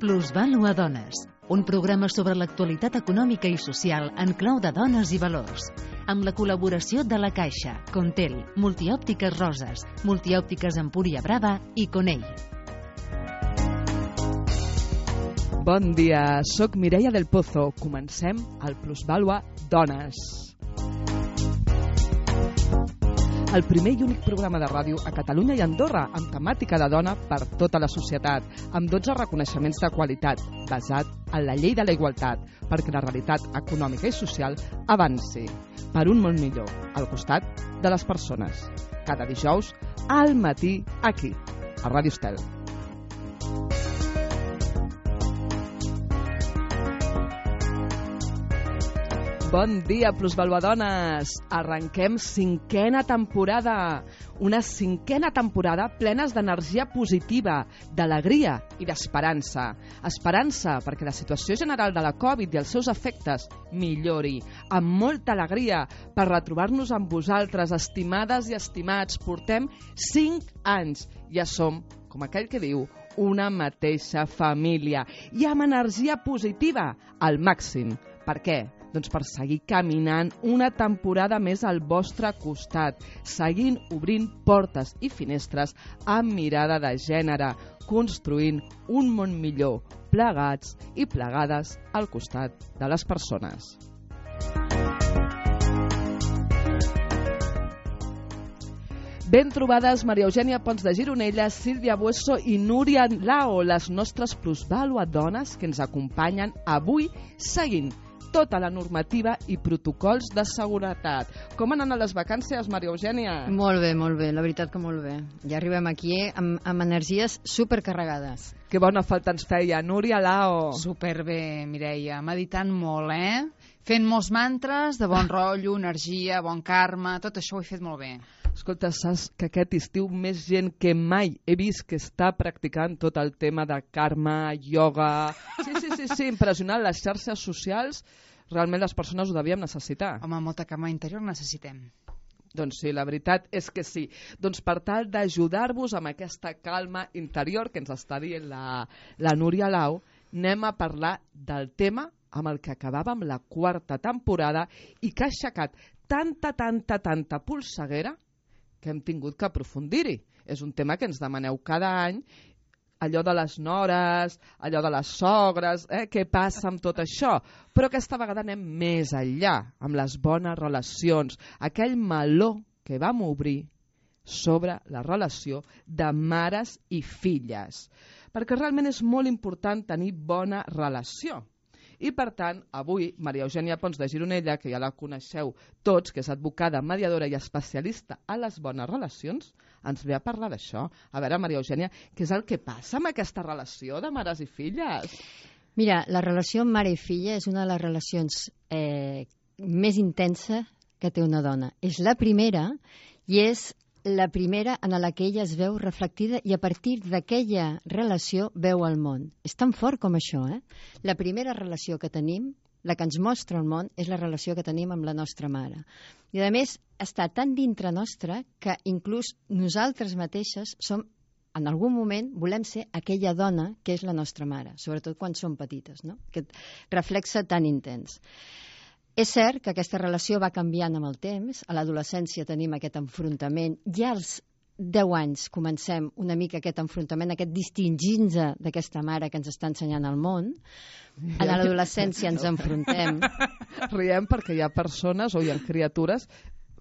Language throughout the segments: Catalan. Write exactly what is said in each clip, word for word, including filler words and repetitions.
Plusvàlua Dones, un programa sobre l'actualitat econòmica i social en clau de dones i valors, amb la col·laboració de La Caixa, Contel, Multiòptiques Roses, Multiòptiques Empúria Brava i Conell. Bon dia, soc Mireia del Pozo. Comencem el Plusvàlua Dones. El primer i únic programa de ràdio a Catalunya i Andorra amb temàtica de dona per tota la societat, amb dotze reconeixements de qualitat, basat en la llei de la igualtat, perquè la realitat econòmica i social avanci per un món millor, al costat de les persones. Cada dijous, al matí, aquí, a Ràdio Estel. Bon dia, plusvaluadones! Arrenquem cinquena temporada. Una cinquena temporada plenes d'energia positiva, d'alegria i d'esperança. Esperança perquè la situació general de la Covid i els seus efectes millori, amb molta alegria per retrobar-nos amb vosaltres, estimades i estimats. Portem cinc anys. Ja som, com aquell que diu, una mateixa família. I amb energia positiva al màxim. Per què? Doncs per seguir caminant una temporada més al vostre costat, seguint obrint portes i finestres amb mirada de gènere, construint un món millor, plegats i plegades al costat de les persones. Ben trobades Maria Eugènia Pons de Gironella, Sílvia Bueso i Núria Lao, les nostres plusvàlua dones que ens acompanyen avui seguint tota la normativa i protocols de seguretat. Com han anat les vacances, Maria Eugènia? Molt bé, molt bé, la veritat que molt bé. Ja arribem aquí amb, amb energies supercarregades. Que bona falta ens feia. Núria Lao. Superbé, Mireia. Meditant molt, eh? Fent molts mantres de bon rotllo, energia, bon karma, tot això ho he fet molt bé. Escolta, saps que aquest estiu més gent que mai he vist que està practicant tot el tema de karma, ioga... Sí, sí, sí, sí, impressionant. Les xarxes socials, realment les persones ho devíem necessitar. Home, molta karma interior necessitem. Doncs sí, la veritat és que sí. Doncs per tal d'ajudar-vos amb aquesta calma interior que ens està dient la, la Núria Lau, anem a parlar del tema amb el que acabàvem la quarta temporada i que ha aixecat tanta, tanta, tanta polseguera que hem tingut que aprofundir-hi. És un tema que ens demaneu cada any, allò de les nores, allò de les sogres, eh? Què passa amb tot això? Però aquesta vegada anem més enllà, amb les bones relacions, aquell meló que vam obrir sobre la relació de mares i filles. Perquè realment és molt important tenir bona relació. I per tant, avui, Maria Eugènia Pons de Gironella, que ja la coneixeu tots, que és advocada, mediadora i especialista a les bones relacions, ens ve a parlar d'això. A veure, Maria Eugènia, què és el que passa amb aquesta relació de mares i filles? Mira, la relació mare i filla és una de les relacions eh, més intensa que té una dona. És la primera i és la primera en la que ella es veu reflectida i a partir d'aquella relació veu el món. És tan fort com això, eh? La primera relació que tenim, la que ens mostra el món, és la relació que tenim amb la nostra mare. I a més, està tan dintre nostra que inclús nosaltres mateixes som, en algun moment, volem ser aquella dona que és la nostra mare, sobretot quan som petites, no? Aquest reflex tan intens. És cert que aquesta relació va canviant amb el temps. A l'adolescència tenim aquest enfrontament. Ja als deu anys comencem una mica aquest enfrontament, aquest distingir-nos d'aquesta mare que ens està ensenyant el món. A l'adolescència ens enfrontem. Riem perquè hi ha persones o hi ha criatures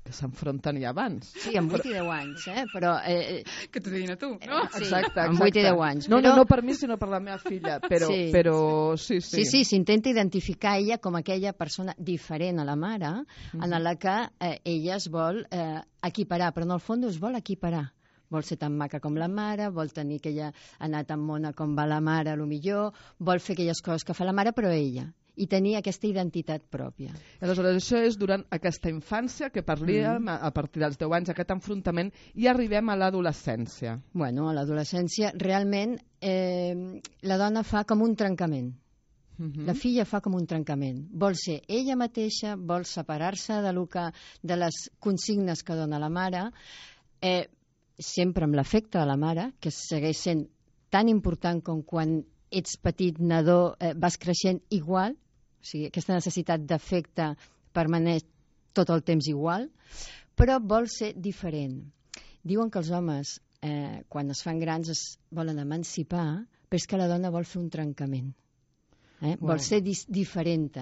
que s'enfronten ja abans. Sí, amb vuit i deu anys, eh? Però, eh, que t'ho diguin a tu, no? Sí, exacte, exacte. amb vuit i deu anys. No, però... no, no per mi, sinó per la meva filla, però sí, però, sí, sí. Sí, sí, s'intenta identificar ella com aquella persona diferent a la mare, mm-hmm. en la que eh, ella es vol eh, equiparar, però en el fons es vol equiparar. Vol ser tan maca com la mare, vol tenir aquella anar tan mona com va la mare, a lo millor, vol fer aquelles coses que fa la mare, però ella, i tenir aquesta identitat pròpia. Aleshores, això és durant aquesta infància que parlíem, mm. a partir dels deu anys, aquest enfrontament, i arribem a l'adolescència. Bueno, a l'adolescència, realment, eh, la dona fa com un trencament. Mm-hmm. La filla fa com un trencament. Vol ser ella mateixa, vol separar-se de, que, de les consignes que dona la mare, eh, sempre amb l'afecte de la mare, que segueix sent tan important com quan ets petit, nadó, eh, vas creixent igual, o sigui, aquesta necessitat d'afecte permaneix tot el temps igual, però vol ser diferent. Diuen que els homes, eh, quan es fan grans, es volen emancipar, però és que la dona vol fer un trencament. Eh? Wow. Vol ser diferent.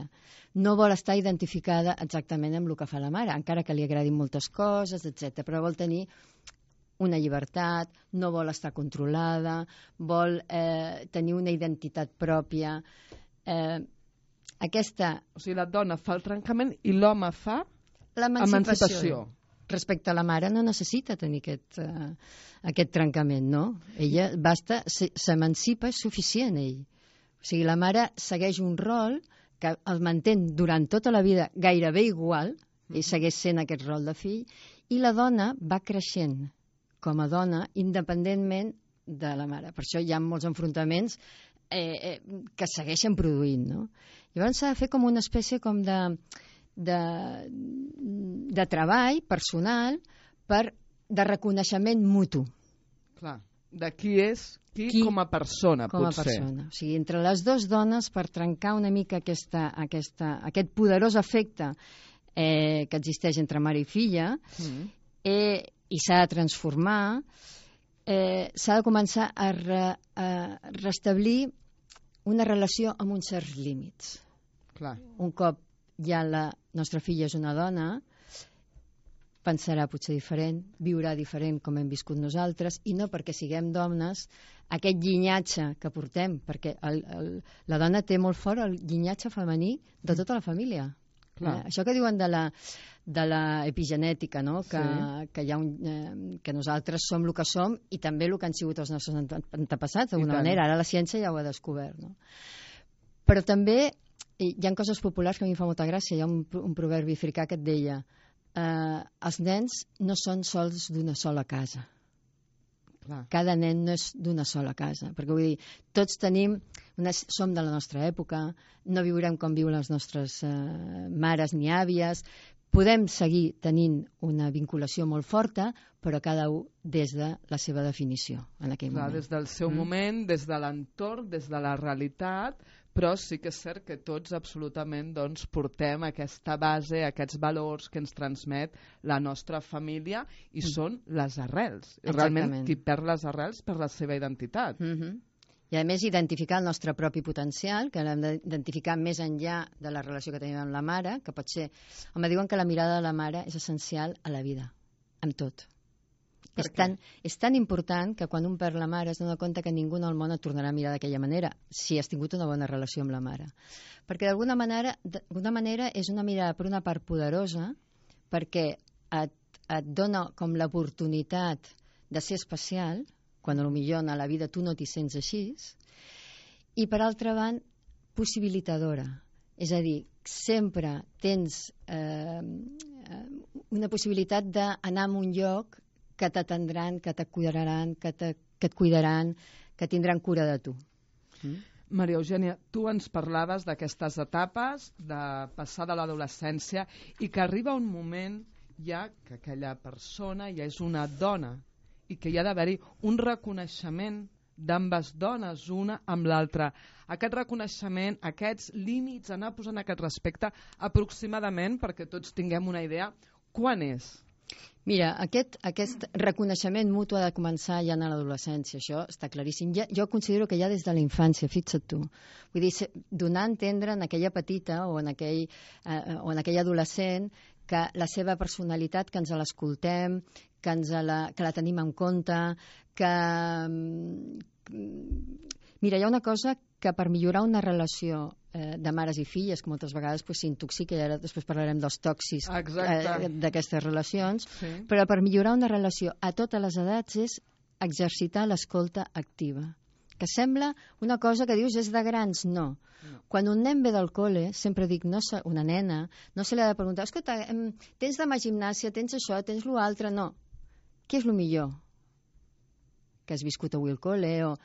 No vol estar identificada exactament amb el que fa la mare, encara que li agradin moltes coses, etcètera. Però vol tenir una llibertat, no vol estar controlada, vol eh, tenir una identitat pròpia. Eh, aquesta... O sigui, la dona fa el trencament i l'home fa emancipació. Respecte a la mare no necessita tenir aquest, uh, aquest trencament, no? Ella basta, s'emancipa, és suficient ell. O sigui, la mare segueix un rol que el mantén durant tota la vida gairebé igual, i segueix sent aquest rol de fill, i la dona va creixent com a dona independentment de la mare. Per això hi ha molts enfrontaments eh, eh, que segueixen produint, no? Llavors s'ha de fer com una espècie com de... De, de treball personal per, de reconeixement mutu. Clar, de qui és qui, qui com a persona, com potser. A persona. O sigui, entre les dues dones, per trencar una mica aquesta, aquesta, aquest poderós efecte eh, que existeix entre mare i filla, mm. eh, i s'ha de transformar, eh, s'ha de començar a, re, a restablir una relació amb uns certs límits. Clar. Un cop ja la nostra filla és una dona, pensarà potser diferent, viurà diferent com hem viscut nosaltres, i no perquè siguem dones, aquest llinatge que portem, perquè el, el, la dona té molt fort el llinatge femení de tota la família. Eh, això que diuen de la, de la epigenètica, no? que, sí. que, hi ha un, eh, que nosaltres som el que som i també el que han sigut els nostres antepassats, d'alguna manera. Ara la ciència ja ho ha descobert. No? Però també hi ha coses populars que a mi em fa molta gràcia. Hi ha un, un proverbi africà que et deia eh, els nens no són sols d'una sola casa. Clar. Cada nen no és d'una sola casa. Perquè vull dir, tots tenim, una, som de la nostra època, no viurem com viuen les nostres eh, mares ni àvies, podem seguir tenint una vinculació molt forta, però cada un des de la seva definició en aquell Clar, moment. Des del seu mm. moment, des de l'entorn, des de la realitat, però sí que és cert que tots absolutament doncs, portem aquesta base, aquests valors que ens transmet la nostra família i mm. són les arrels. I realment qui perd les arrels perd la seva identitat. Mm-hmm. I a més identificar el nostre propi potencial, que l'hem d'identificar més enllà de la relació que tenim amb la mare, que pot ser... Home, diuen que la mirada de la mare és essencial a la vida, amb tot. És tan, és tan important que quan un perd la mare es dona compte que ningú en el món et tornarà a mirar d'aquella manera, si has tingut una bona relació amb la mare. Perquè d'alguna manera, d'alguna manera és una mirada per una part poderosa, perquè et, et dona com l'oportunitat de ser especial, quan potser a la vida tu no t'hi sents així, i per altra banda, possibilitadora. És a dir, sempre tens eh, una possibilitat d'anar a un lloc que t'atendran, que t'acuidaran, que, te, que et cuidaran, que tindran cura de tu. Mm. Maria Eugènia, tu ens parlaves d'aquestes etapes, de passar de l'adolescència, i que arriba un moment ja que aquella persona ja és una dona i que hi ha d'haver-hi un reconeixement d'ambes dones, una amb l'altra. Aquest reconeixement, aquests límits, anar posant aquest respecte aproximadament, perquè tots tinguem una idea, quan és? Mira, aquest, aquest reconeixement mutu ha de començar ja en l'adolescència, això està claríssim. Ja, jo considero que ja des de la infància, fixa't tu. Vull dir, donar a entendre en aquella petita o en aquell, eh, o en aquell adolescent que la seva personalitat, que ens l'escoltem, que, ens la, que la tenim en compte, que... Mira, hi ha una cosa que per millorar una relació eh, de mares i filles, que moltes vegades pues, s'intoxica, i ara després parlarem dels tòxics eh, d'aquestes relacions, sí. Però per millorar una relació a totes les edats és exercitar l'escolta activa. Que sembla una cosa que dius és de grans, no. no. Quan un nen ve del col·le, sempre dic, no se, una nena, no se li ha de preguntar, escolta, tens demà gimnàsia, tens això, tens l'altre, no. Què és el millor? Que has viscut avui al col·le o...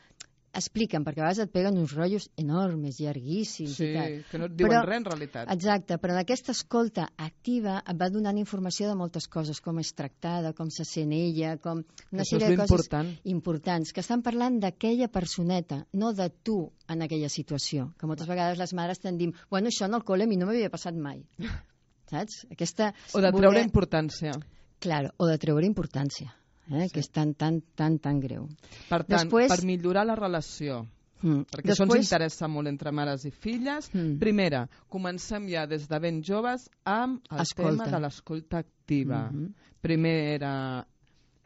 expliquen, perquè a vegades et peguen uns rotllos enormes, llarguíssims sí, i tal. que no et diuen però, res en realitat. Exacte, però en aquesta escolta activa et va donant informació de moltes coses, com és tractada, com se sent ella, com una Això és sèrie de coses important. importants, que estan parlant d'aquella personeta, no de tu en aquella situació, que moltes vegades les mares t'han dit, bueno, això en el col·le a mi no m'havia passat mai. Saps? Aquesta... O de treure importància. Claro, o de treure importància. Eh, sí. Que és tan, tan, tan, tan greu. Per tant, Després... per millorar la relació, mm. perquè Després... això ens interessa molt entre mares i filles, mm. primera, comencem ja des de ben joves amb el Escolta. tema de l'escolta activa. Mm -hmm. Primera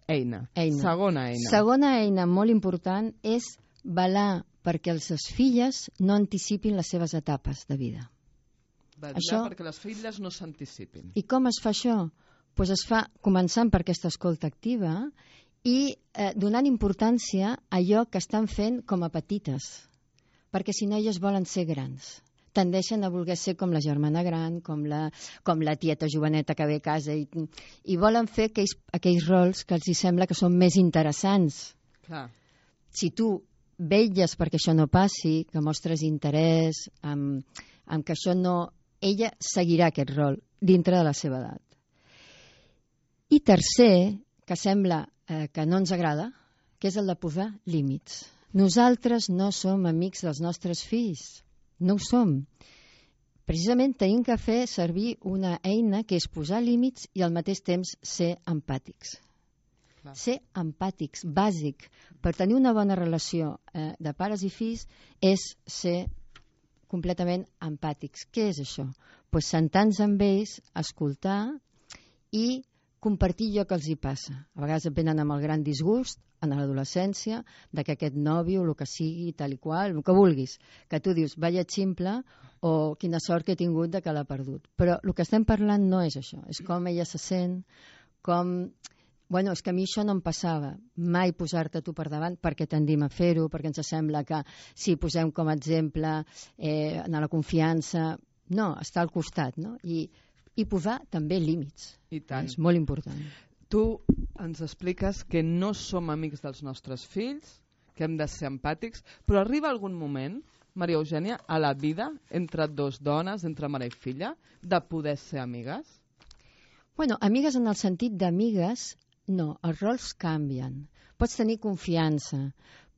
eina. eina. Segona eina. Segona eina molt important és velar perquè les filles no anticipin les seves etapes de vida. Velar això... perquè les filles no s'anticipin. I com es fa això? Pues es fa començant per aquesta escolta activa i eh, donant importància a allò que estan fent com a petites, perquè si no elles volen ser grans. Tendeixen a voler ser com la germana gran, com la, com la tieta joveneta que ve a casa i, i volen fer aquells, aquells rols que els hi sembla que són més interessants. Clar. Si tu vetlles perquè això no passi, que mostres interès, amb, amb que això no... Ella seguirà aquest rol dintre de la seva edat. I tercer, que sembla eh, que no ens agrada, que és el de posar límits. Nosaltres no som amics dels nostres fills, no ho som. Precisament tenim que fer servir una eina que és posar límits i al mateix temps ser empàtics. Clar. Ser empàtics, bàsic. Per tenir una bona relació eh, de pares i fills és ser completament empàtics. Què és això? Pues sentar-nos amb ells, escoltar i compartir allò que els hi passa. A vegades venen amb el gran disgust, en l'adolescència, de que aquest nòvio, el que sigui, tal i qual, el que vulguis, que tu dius, vaya ximple, o quina sort que he tingut de que l'ha perdut. Però el que estem parlant no és això, és com ella se sent, com... Bueno, és que a mi això no em passava, mai posar-te tu per davant perquè tendim a fer-ho, perquè ens sembla que si posem com a exemple eh, en la confiança, no, està al costat, no? I i posar també límits. I tant. És molt important. Tu ens expliques que no som amics dels nostres fills, que hem de ser empàtics, però arriba algun moment, Maria Eugènia, a la vida, entre dos dones, entre mare i filla, de poder ser amigues? Bueno, amigues en el sentit d'amigues, no, els rols canvien. Pots tenir confiança,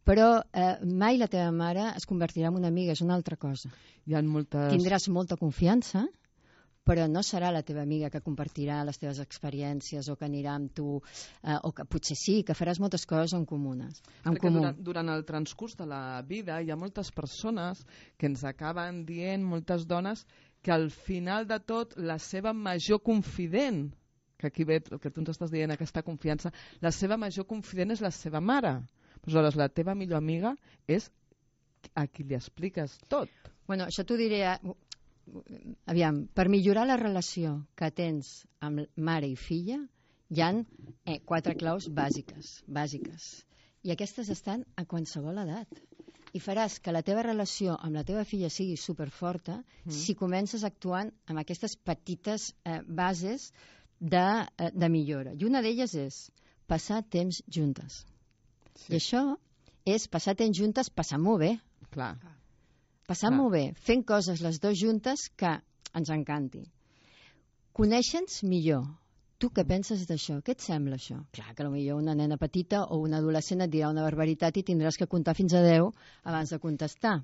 però eh, mai la teva mare es convertirà en una amiga, és una altra cosa. Hi ha moltes... Tindràs molta confiança, però no serà la teva amiga que compartirà les teves experiències o que anirà amb tu, eh, o que potser sí, que faràs moltes coses en comunes. En Perquè comú. durant, durant el transcurs de la vida hi ha moltes persones que ens acaben dient, moltes dones, que al final de tot la seva major confident, que aquí ve el que tu ens estàs dient, aquesta confiança, la seva major confident és la seva mare. Aleshores, la teva millor amiga és a qui li expliques tot. Bueno, això t'ho diré... A... Aviam, per millorar la relació que tens amb mare i filla hi ha eh, quatre claus bàsiques, bàsiques i aquestes estan a qualsevol edat i faràs que la teva relació amb la teva filla sigui superforta mm. si comences actuant amb aquestes petites eh, bases de, eh, de millora i una d'elles és passar temps juntes sí. I això és passar temps juntes passant-m'ho bé. Clar. Passant-m'ho bé, fent coses les dues juntes que ens encanti. Conèixer-nos millor. Tu què penses d'això? Què et sembla això? Clar que potser una nena petita o una adolescent et dirà una barbaritat i tindràs que comptar fins a deu abans de contestar.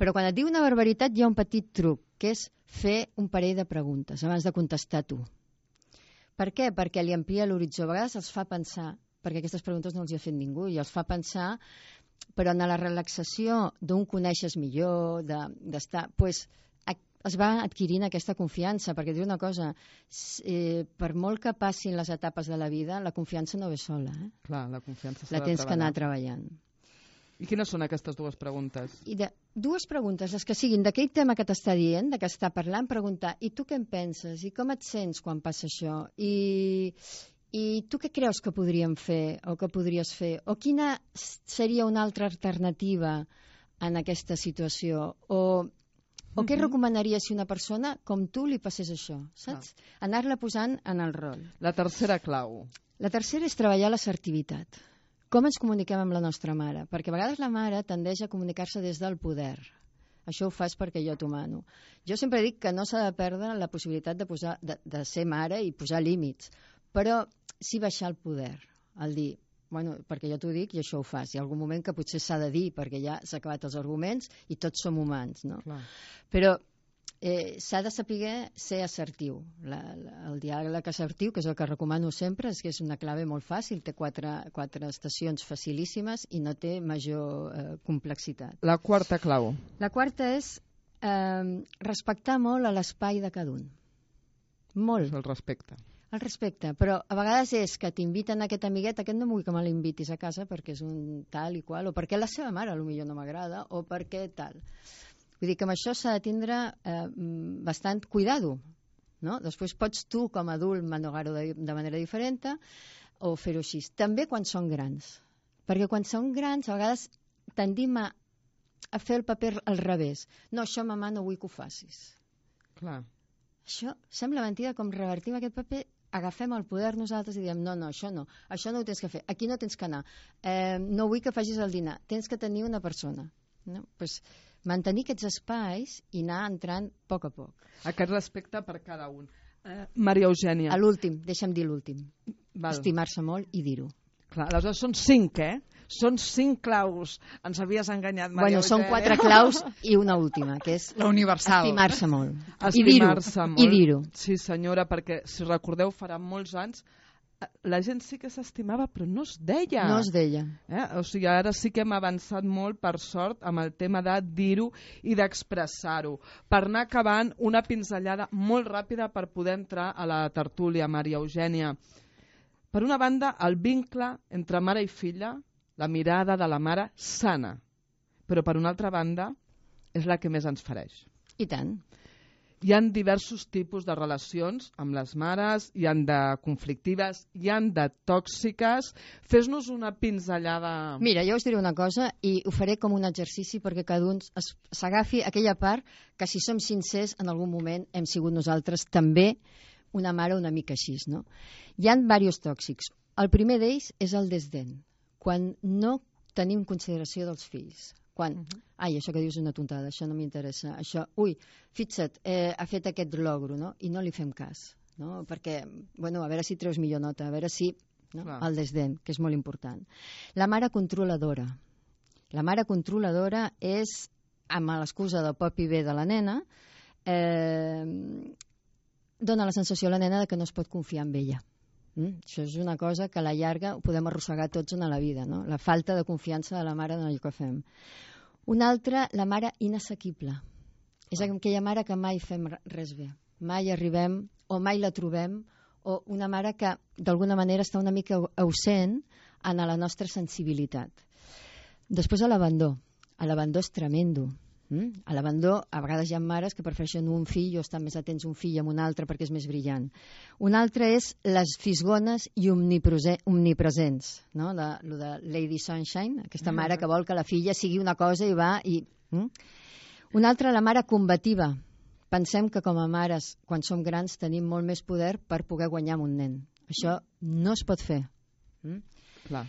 Però quan et diu una barbaritat hi ha un petit truc, que és fer un parell de preguntes abans de contestar tu. Per què? Perquè li amplia l'horitzó. A vegades els fa pensar, perquè aquestes preguntes no els hi ha fet ningú, i els fa pensar... però en la relaxació d'un coneixes millor, d'estar... De, pues, es va adquirint aquesta confiança, perquè dir una cosa, eh, per molt que passin les etapes de la vida, la confiança no ve sola. Eh? Clar, la confiança s'ha la de tens treballar. que anar treballant. I quines són aquestes dues preguntes? I de, dues preguntes, les que siguin d'aquell tema que t'està dient, de què està parlant, preguntar, i tu què en penses? I com et sents quan passa això? I... I tu què creus que podríem fer o que podries fer? O quina seria una altra alternativa en aquesta situació? O, o mm-hmm. què recomanaries si una persona com tu li passés això? Saps? Ah. Anar-la posant en el rol. La tercera clau. La tercera és treballar l'assertivitat. Com ens comuniquem amb la nostra mare? Perquè a vegades la mare tendeix a comunicar-se des del poder. Això ho fas perquè jo t'ho mano. Jo sempre dic que no s'ha de perdre la possibilitat de, posar, de, de ser mare i posar límits, però sí baixar el poder, el dir, bueno, perquè jo t'ho dic i això ho fas. Hi ha algun moment que potser s'ha de dir, perquè ja s'ha acabat els arguments i tots som humans, no? Clar. Però eh, s'ha de saber ser assertiu. La, la, el diàleg assertiu, que és el que recomano sempre, és que és una clave molt fàcil, té quatre, quatre estacions facilíssimes i no té major eh, complexitat. La quarta clau. La quarta és eh, respectar molt a l'espai de cada un. Molt. És el respecte. El respecte, però a vegades és que t'inviten a aquest amiguet, aquest no vull que me l'invitis a casa perquè és un tal i qual, o perquè la seva mare potser no m'agrada, o perquè tal. Vull dir que amb això s'ha de tindre eh, bastant cuidado, no? Després pots tu, com a adult, manogar-ho de, de manera diferent o fer-ho així. També quan són grans, perquè quan són grans a vegades tendim a, a fer el paper al revés. No, això, mamà, no vull que ho facis. Clar. Això sembla mentida, com revertim aquest paper, agafem el poder nosaltres i diem no, no, això no, això no ho tens que fer, aquí no tens que anar, eh, no vull que facis el dinar, tens que tenir una persona. No? Pues, mantenir aquests espais i anar entrant a poc a poc. Aquest respecte per cada un. Eh, Maria Eugènia. A l'últim, deixa'm dir l'últim. Val. Estimar-se molt i dir-ho. Clar, aleshores són cinc, eh? Són cinc claus. Ens havies enganyat, Maria Bueno, Eugènia. són quatre claus i una última, que és la universal. Estimar-se molt. Estimar-se molt. I dir-ho. Sí, senyora, perquè, si recordeu, farà molts anys la gent sí que s'estimava, però no es deia. No es deia. Eh? O sigui, ara sí que hem avançat molt, per sort, amb el tema de dir-ho i d'expressar-ho. Per anar acabant, una pinzellada molt ràpida per poder entrar a la tertúlia, Maria Eugènia. Per una banda, el vincle entre mare i filla, la mirada de la mare sana, però per una altra banda, és la que més ens fereix. I tant. Hi ha diversos tipus de relacions amb les mares, hi han de conflictives, hi han de tòxiques. Fes-nos una pinzellada. Mira, jo us diré una cosa i ho faré com un exercici perquè cada un s'agafi aquella part que si som sincers en algun moment hem sigut nosaltres també una mare una mica així, no? Hi ha diversos tòxics. El primer d'ells és el desdent, quan no tenim consideració dels fills. Quan, uh -huh. ai, això que dius és una tontada, això no m'interessa, això, ui, fixa't, eh, ha fet aquest logro, no? I no li fem cas, no? Perquè, bueno, a veure si treus millor nota, a veure si, no? El desdent, que és molt important. La mare controladora. La mare controladora és, amb l'excusa del pop i bé de la nena, eh, dona la sensació a la nena de que no es pot confiar en ella. Mm? Això és una cosa que a la llarga ho podem arrossegar tots en la vida, no? La falta de confiança de la mare en allò que fem. Una altra, la mare inassequible. És aquella mare que mai fem res bé. Mai arribem, o mai la trobem, o una mare que d'alguna manera està una mica ausent en la nostra sensibilitat. Després a l'abandó. A l'abandó és tremendo. Mm? A l'abandó, a vegades hi ha mares que prefereixen un fill o estan més atents un fill amb un altre perquè és més brillant. Un altre és les fisgones i omnipresents, no? De, lo de Lady Sunshine, aquesta mare que vol que la filla sigui una cosa i va i... Mm? Una altra, la mare combativa. Pensem que com a mares, quan som grans, tenim molt més poder per poder guanyar amb un nen. Això no es pot fer. Mm? Clar.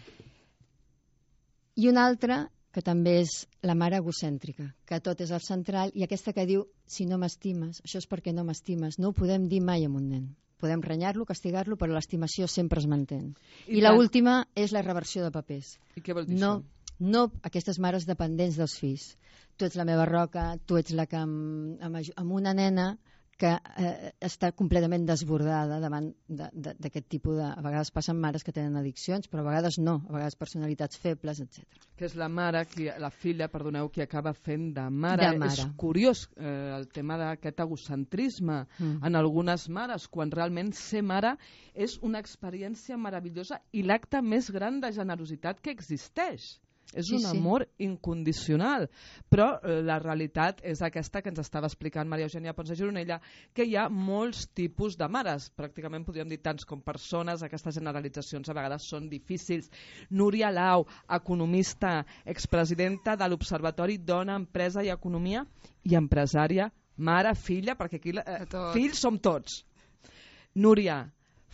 I una altra, que també és la mare egocèntrica, que tot és el central, i aquesta que diu, si no m'estimes, això és perquè no m'estimes. No ho podem dir mai amb un nen. Podem renyar-lo, castigar-lo, però l'estimació sempre es manté. I, I l'última és la reversió de papers. I què vol dir no, això? No aquestes mares dependents dels fills. Tu ets la meva roca, tu ets la que amb, amb, amb una nena que eh, està completament desbordada davant d'aquest tipus de... A vegades passen mares que tenen addiccions, però a vegades no, a vegades personalitats febles, etcètera. Que és la mare, qui, la filla, perdoneu, qui acaba fent de mare. De mare. És curiós eh, el tema d'aquest egocentrisme mm. en algunes mares, quan realment ser mare és una experiència meravellosa i l'acte més gran de generositat que existeix. És sí, un sí. amor incondicional, però eh, la realitat és aquesta que ens estava explicant Maria Eugènia Pons de Gironella, que hi ha molts tipus de mares, pràcticament podríem dir tants com persones, aquestes generalitzacions a vegades són difícils. Núria Lau, economista, expresidenta de l'Observatori Dona, Empresa i Economia i empresària, mare, filla, perquè aquí eh, fills som tots. Núria,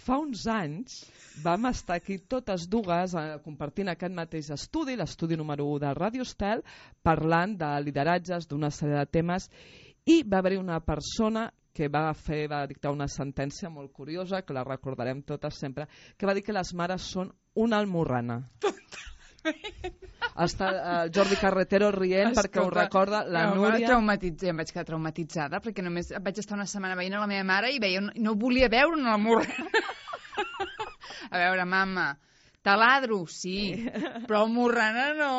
Fa uns anys vam estar aquí totes dues eh, compartint aquest mateix estudi, l'estudi número u de Ràdio Estel, parlant de lideratges, d'una sèrie de temes, i va haver-hi una persona que va fer, va dictar una sentència molt curiosa, que la recordarem totes sempre, que va dir que les mares són una almorrana. Està el Jordi Carretero rient Escolta, perquè ho recorda la no, Núria. Traumatitza, em vaig quedar traumatitzada perquè només vaig estar una setmana veient a la meva mare i veia, no volia veure una almorrana. A veure, mama, taladro, sí, però almorrana no.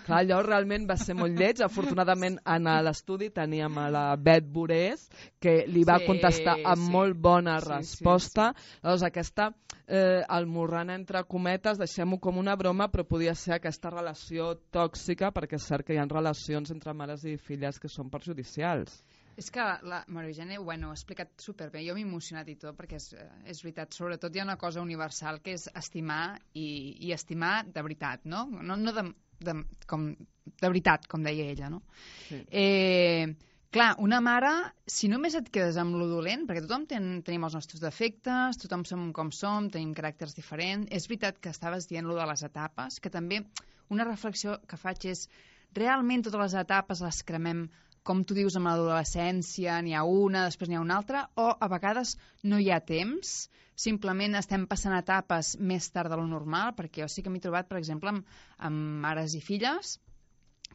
Clar, allò realment va ser molt lleig. Afortunadament, en l'estudi teníem a la Bet Borés, que li va Sí, contestar amb sí. molt bona Sí, resposta. sí, Llavors, aquesta eh, almorrana, entre cometes, deixem-ho com una broma, però podia ser aquesta relació tòxica, perquè és cert que hi ha relacions entre mares i filles que són perjudicials. És que la Maria Eugènia, bueno, ho ha explicat superbé. Jo m'he emocionat i tot, perquè és, és veritat. Sobretot hi ha una cosa universal, que és estimar, i, i estimar de veritat, no? No, no de, de, com, de veritat, com deia ella, no? Sí. Eh, clar, una mare, si només et quedes amb lo dolent, perquè tothom ten, tenim els nostres defectes, tothom som com som, tenim caràcters diferents. És veritat que estaves dient lo de les etapes, que també una reflexió que faig és realment totes les etapes les cremem, com tu dius, amb l'adolescència, n'hi ha una, després n'hi ha una altra, o a vegades no hi ha temps, simplement estem passant etapes més tard de lo normal, perquè jo sí que m'he trobat, per exemple, amb, amb mares i filles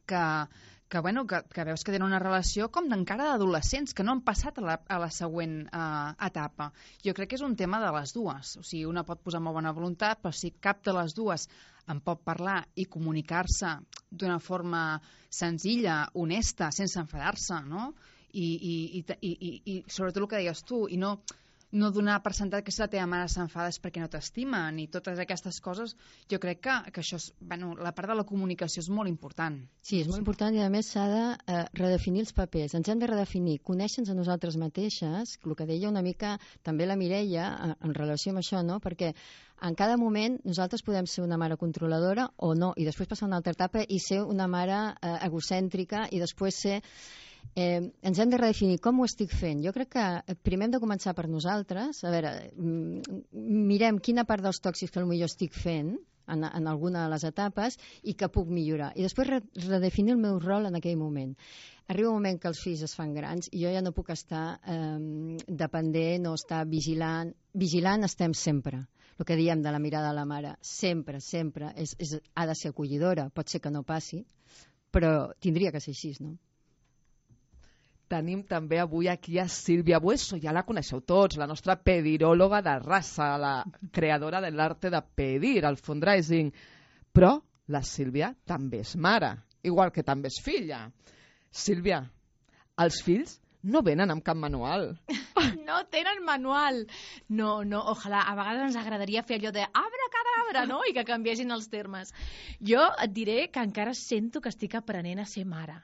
que, que, bueno, que, que veus que tenen una relació com d'encara d'adolescents, que no han passat a la, a la següent uh, etapa. Jo crec que és un tema de les dues. O sigui, una pot posar molt bona voluntat, però si cap de les dues en pot parlar i comunicar-se d'una forma senzilla, honesta, sense enfadar-se, no? I, i, i, i, i, i sobretot el que deies tu, i no, no donar per sentat que si la teva mare s'enfada és perquè no t'estima, ni totes aquestes coses. Jo crec que, que això és, bueno, la part de la comunicació és molt important. Sí, és molt important i a més s'ha de eh, redefinir els papers. Ens hem de redefinir, conèixer-nos a nosaltres mateixes, el que deia una mica també la Mireia en, en relació amb això, no? Perquè en cada moment nosaltres podem ser una mare controladora o no, i després passar a una altra etapa i ser una mare eh, egocèntrica i després ser... Eh, ens hem de redefinir com ho estic fent. Jo crec que primer hem de començar per nosaltres. A veure, mirem quina part dels tòxics que potser estic fent en, en alguna de les etapes i que puc millorar. I després re redefinir el meu rol en aquell moment. Arriba un moment que els fills es fan grans i jo ja no puc estar eh, dependent o estar vigilant. Vigilant estem sempre. El que diem de la mirada de la mare, sempre, sempre, és, és, ha de ser acollidora. Pot ser que no passi, però tindria que ser així, no? Tenim també avui aquí a Sílvia Bueso, ja la coneixeu tots, la nostra pediròloga de raça, la creadora de l'arte de pedir, el fundraising. Però la Sílvia també és mare, igual que també és filla. Sílvia, els fills no venen amb cap manual. No tenen manual. No, no, ojalà. A vegades ens agradaria fer allò de abracadabra, no? I que canviessin els termes. Jo et diré que encara sento que estic aprenent a ser mare,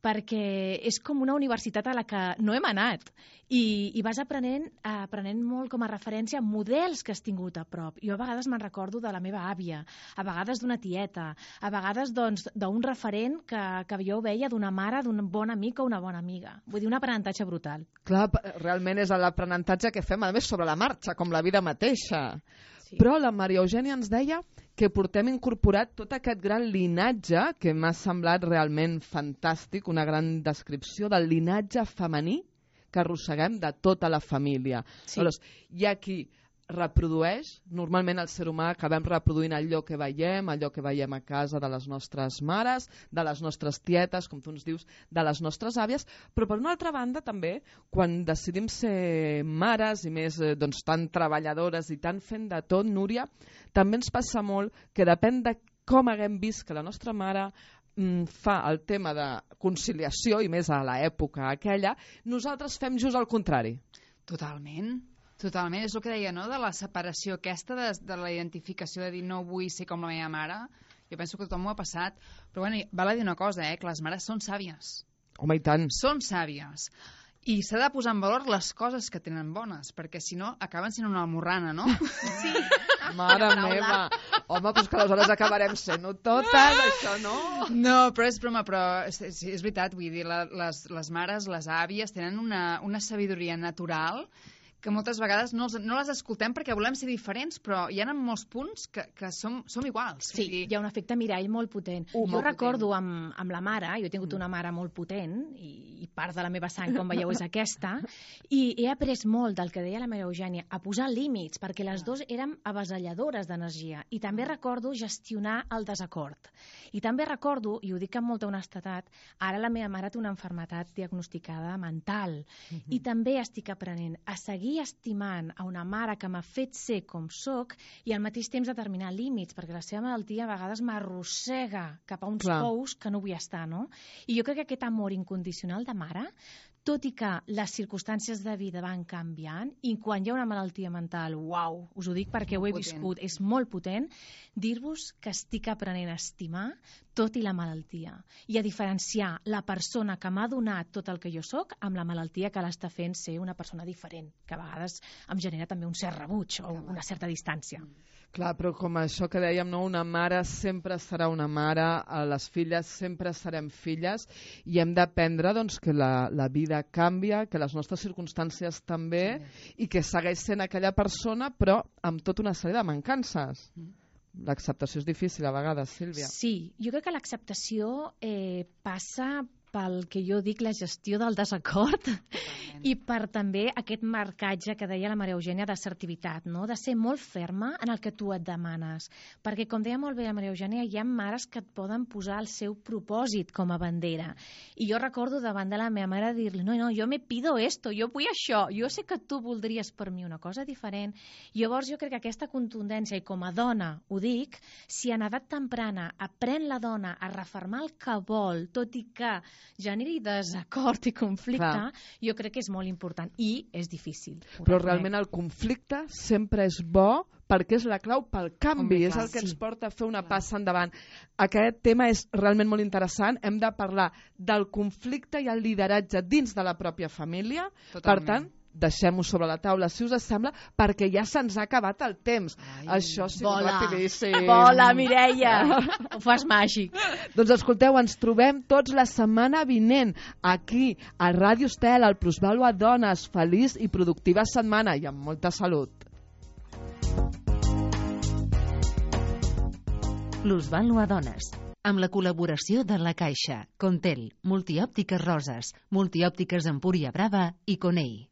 perquè és com una universitat a la que no hem anat i, i vas aprenent, aprenent molt com a referència models que has tingut a prop. Jo a vegades me'n recordo de la meva àvia, a vegades d'una tieta, a vegades doncs d'un referent que, que jo veia d'una mare, d'un bon amic o una bona amiga. Vull dir, un aprenentatge brutal. Clar, realment és l'aprenentatge que fem, a més, sobre la marxa, com la vida mateixa. Sí. Però la Maria Eugènia ens deia que portem incorporat tot aquest gran linatge que m'ha semblat realment fantàstic, una gran descripció del linatge femení que arrosseguem de tota la família. Sí. Aleshores, hi ha qui reprodueix, normalment el ser humà acabem reproduint allò que veiem, allò que veiem a casa de les nostres mares, de les nostres tietes, com tu ens dius, de les nostres àvies, però per una altra banda també, quan decidim ser mares i més eh, doncs, tan treballadores i tan fent de tot, Núria, també ens passa molt que depèn de com haguem vist que la nostra mare mm, fa el tema de conciliació, i més a l'època aquella, nosaltres fem just el contrari. Totalment. Totalment, és el que deia, no?, de la separació aquesta, de, de la identificació de dir no vull ser com la meva mare. Jo penso que tothom ho ha passat, però bueno, val a dir una cosa, eh, que les mares són sàvies. Home, i tant. Són sàvies. I s'ha de posar en valor les coses que tenen bones, perquè si no acaben sent una almorrana, no? Sí. Mare meva. Home, doncs que aleshores acabarem sent-ho totes, això no? No, però és broma, però és, és, és veritat, vull dir, la, les, les mares, les àvies, tenen una, una sabidoria natural que moltes vegades no, els, no les escoltem perquè volem ser diferents, però hi ha molts punts que, que som, som iguals. Sí, dir... hi ha un efecte mirall molt potent. Uh, jo molt recordo amb, amb la mare, jo he tingut una mare molt potent, i, i part de la meva sang, com veieu, és aquesta, i he après molt del que deia la Maria Eugènia, a posar límits, perquè les dues érem avasalladores d'energia, i també recordo gestionar el desacord. I també recordo, i ho dic amb molta honestedat, ara la meva mare té una malaltia diagnosticada mental, uh-huh. i també estic aprenent a seguir estimant a una mare que m'ha fet ser com soc i al mateix temps determinar límits, perquè la seva malaltia a vegades m'arrossega cap a uns Clar. pous que no vull estar, no? I jo crec que aquest amor incondicional de mare, tot i que les circumstàncies de vida van canviant, i quan hi ha una malaltia mental, uau, us ho dic perquè ho he potent. viscut, és molt potent, dir-vos que estic aprenent a estimar tot i la malaltia, i a diferenciar la persona que m'ha donat tot el que jo sóc amb la malaltia que l'està fent ser una persona diferent, que a vegades em genera també un cert rebuig o una certa distància. Clar, però com això que dèiem, no? Una mare sempre serà una mare, les filles sempre serem filles, i hem d'aprendre doncs, que la, la vida canvia, que les nostres circumstàncies també, sí. i que segueix sent aquella persona, però amb tota una sèrie de mancances. Mm. L'acceptació és difícil a vegades, Sílvia. Sí, jo crec que l'acceptació eh, passa pel que jo dic la gestió del desacord Totalment. I per també aquest marcatge que deia la Maria Eugènia d'assertivitat, no? De ser molt ferma en el que tu et demanes. Perquè, com deia molt bé la Maria Eugènia, hi ha mares que et poden posar el seu propòsit com a bandera. I jo recordo davant de la meva mare dir-li, no, no, jo me pido esto, jo vull això, jo sé que tu voldries per mi una cosa diferent. I llavors jo crec que aquesta contundència, i com a dona ho dic, si en edat temprana aprèn la dona a refermar el que vol, tot i que generi desacord i conflicte, Clar. jo crec que és molt important i és difícil. Però realment el conflicte sempre és bo perquè és la clau pel canvi, Home, és el que sí. ens porta a fer una clar. passa endavant. Aquest tema és realment molt interessant, hem de parlar del conflicte i el lideratge dins de la pròpia família, Totalment. per tant, deixem-ho sobre la taula, si us sembla, perquè ja se'ns ha acabat el temps. Ai, Això sí, rapidíssim. Vola, Mireia! Ho fas màgic. Doncs escolteu, ens trobem tots la setmana vinent aquí, a Ràdio Estel, al Plusvàlua Dones. Feliç i productiva setmana i amb molta salut. Plusvàlua Dones, amb la col·laboració de La Caixa, Contel, Multiòptiques Roses, Multiòptiques Empúria Brava i Conei.